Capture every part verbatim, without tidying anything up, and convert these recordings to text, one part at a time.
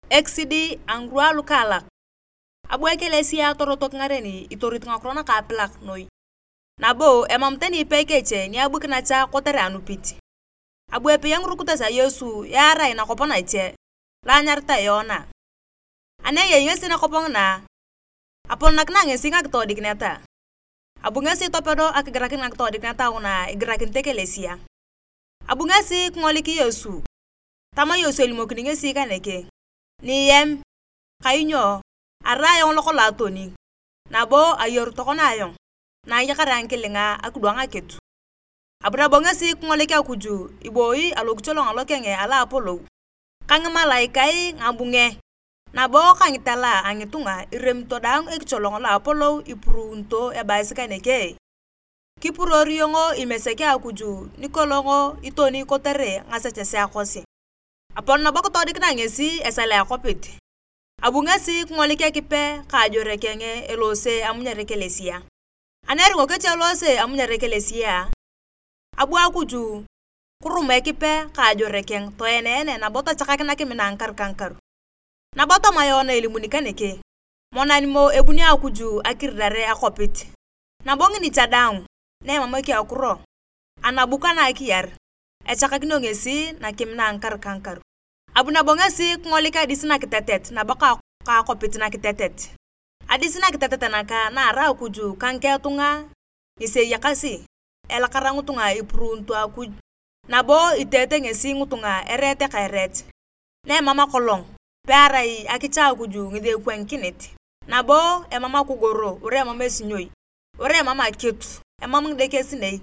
Ekisidi a ngirwa lukaalak. Abu ekelesia torotok ngareni itorit ngakiro nakaapilak noi. Nabo emam tani ipei keche ni abukinacha kotere anupit. Abu epei a ngirukitos a Yesu earai nakwap nache, lo anyaritae Yoana. Ani eyei ngesi nakwap ngina, apolonakina ngesi ngakitoodikinet. Abu ngesi topedo akigirakin ngakitoodikinet nguna igirakinit ekelesia. Abu ngesi kingolik Yesu. Tama Yesu elimokini ngesi kaneke, "Niyem, kainyo arai ayong lokolong atoni, nabo ayeru tokona ayong na ayakar ngikilinga akidwang akitu." Abu nabo ngesi kingolik Akuj iboi alokicholong alokeng alo apolou, ka ngimalaikae ngabunge, nabo ka ngitela a ngitunga iremito daang ekicholong lo apolou ipuruunito ebaasi kaneke, "Kipuruor iyong imesek a Akuj nikolong itoni kotere ngasechesea kosi." Apon nabo kitoodikina ngesi esal a akwapit. Abu ngesi kingolik Ekipe ka ajore keng eloose amunyar ekelesia. Ani eringo keche eloose amunyar ekelesia, abu Akuj kirum Ekipe ka ajore keng toeneene nabo tochakakina kimina ngikaru ka ngikaru. Nabo toma Yoana elimuni kaneke, "Monan mo ebuni Akuj akirirare akwapit, nabo ngini cha daang na emam ekiakuro, anabu kana akiyar, echakakinio ngesi nakimina ngikaru ka ngikaru." Abu nabo ngesi kingolik adis nakitetet nabo ka, ka akwapit nakitetet. Adis nakitetet naka na arai Akuj ka ngiketunga ngesi eyakasi, elakara ngitunga ipuruunito Akuj, nabo iteete ngesi ngitunga ereet ka ereet. Na emam akolong, pearai akicha Akuj ngesi epwangikinit, nabo emam akogoro wara emam esinyoi, wara emam akitu, emam ngidekesinei,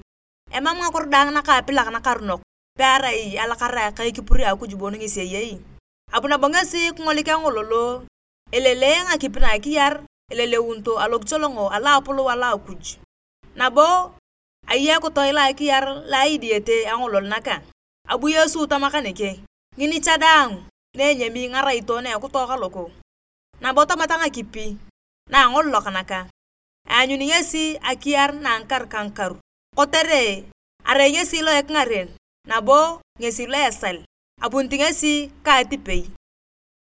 emam ngakiro daang nakaapilak nakaronok, pearai alakara ka ekipur a Akuj bon ngesi eyei. Abu nabo ngesi kingolik angololo, elele ngakipi na akiyar, eleleunito alokicholongo alo apolou alo Akuj. Nabo ayei ekitoe lo akiyar lo aidiete angolol naka. Abu Yesu tama kaneke, "Ngini cha daang na enyami ngaraito na ekitoe kaloko." Nabo tamata ngakipi na angololok naka, aanyun ngesi akiyar na ngikaru ka ngikaru, kotere arai ngesi lo ekingaren, nabo ngesi lo esal, apunit ngesi ka atipei.